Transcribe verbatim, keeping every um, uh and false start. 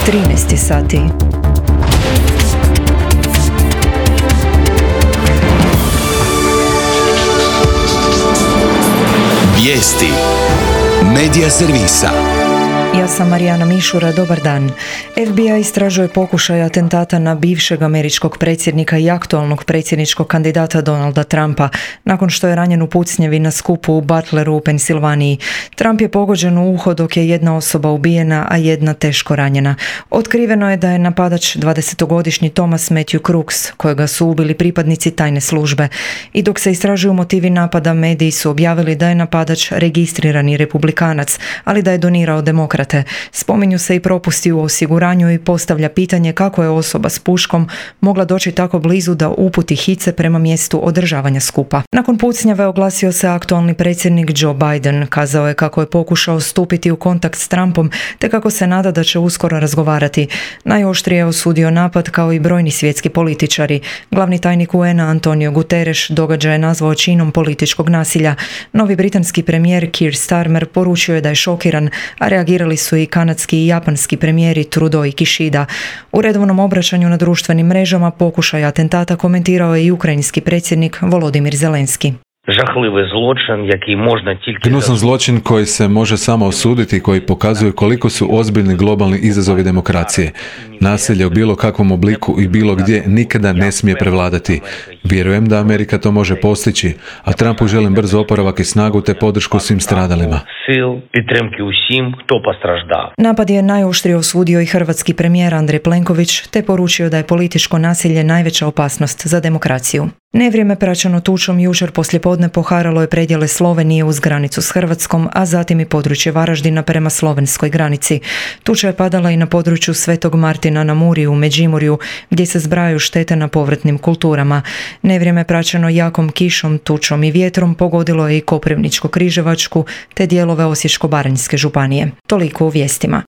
trinaest sati. Vijesti Medija servisa. Ja sam Marijana Mišura, dobar dan. F B I istražuje pokušaj atentata na bivšeg američkog predsjednika i aktualnog predsjedničkog kandidata Donalda Trumpa, nakon što je ranjen u pucnjevi na skupu u Butleru u Pensilvaniji. Trump je pogođen u uho dok je jedna osoba ubijena, a jedna teško ranjena. Otkriveno je da je napadač dvadesetogodišnji Thomas Matthew Crooks, kojega su ubili pripadnici tajne službe. I dok se istražuju motivi napada, mediji su objavili da je napadač registrirani republikanac, ali da je donirao demokrat. Spominju se i propusti u osiguranju i postavlja pitanje kako je osoba s puškom mogla doći tako blizu da uputi hice prema mjestu održavanja skupa. Nakon pucnjave oglasio se aktualni predsjednik Joe Biden. Kazao je kako je pokušao stupiti u kontakt s Trumpom te kako se nada da će uskoro razgovarati. Najoštrije je osudio napad kao i brojni svjetski političari. Glavni tajnik U N-a Antonio Guterres događaj je nazvao činom političkog nasilja. Novi britanski premijer Keir Starmer poručio je da je šokiran, a reagirali su i kanadski i japanski premijeri Trudeau i Kishida. U redovnom obraćanju na društvenim mrežama pokušaj atentata komentirao je i ukrajinski predsjednik Volodimir Zelenski. Жахливий злочин, який можна тільки... Gnusan zločin koji se može samo osuditi i koji pokazuje koliko su ozbiljni globalni izazovi demokracije. Nasilje u bilo kakvom obliku i bilo gdje nikada ne smije prevladati. Vjerujem da Amerika to može postići, a Trumpu želim brzo oporavak i snagu te podršku svim stradalima. Napad je najoštrije osudio i hrvatski premijer Andrej Plenković te poručio da je političko nasilje najveća opasnost za demokraciju. Nevrijeme praćeno tučom jučer poslijepodne poharalo je predjele Slovenije uz granicu s Hrvatskom, a zatim i područje Varaždina prema slovenskoj granici. Tuča je padala i na području Svetog Martina na Muri u Međimurju, gdje se zbrajaju štete na povratnim kulturama. Nevrijeme praćeno jakom kišom, tučom i vjetrom pogodilo je i Koprivničko-križevačku te dijelove Osječko-baranjske županije. Toliko u vijestima.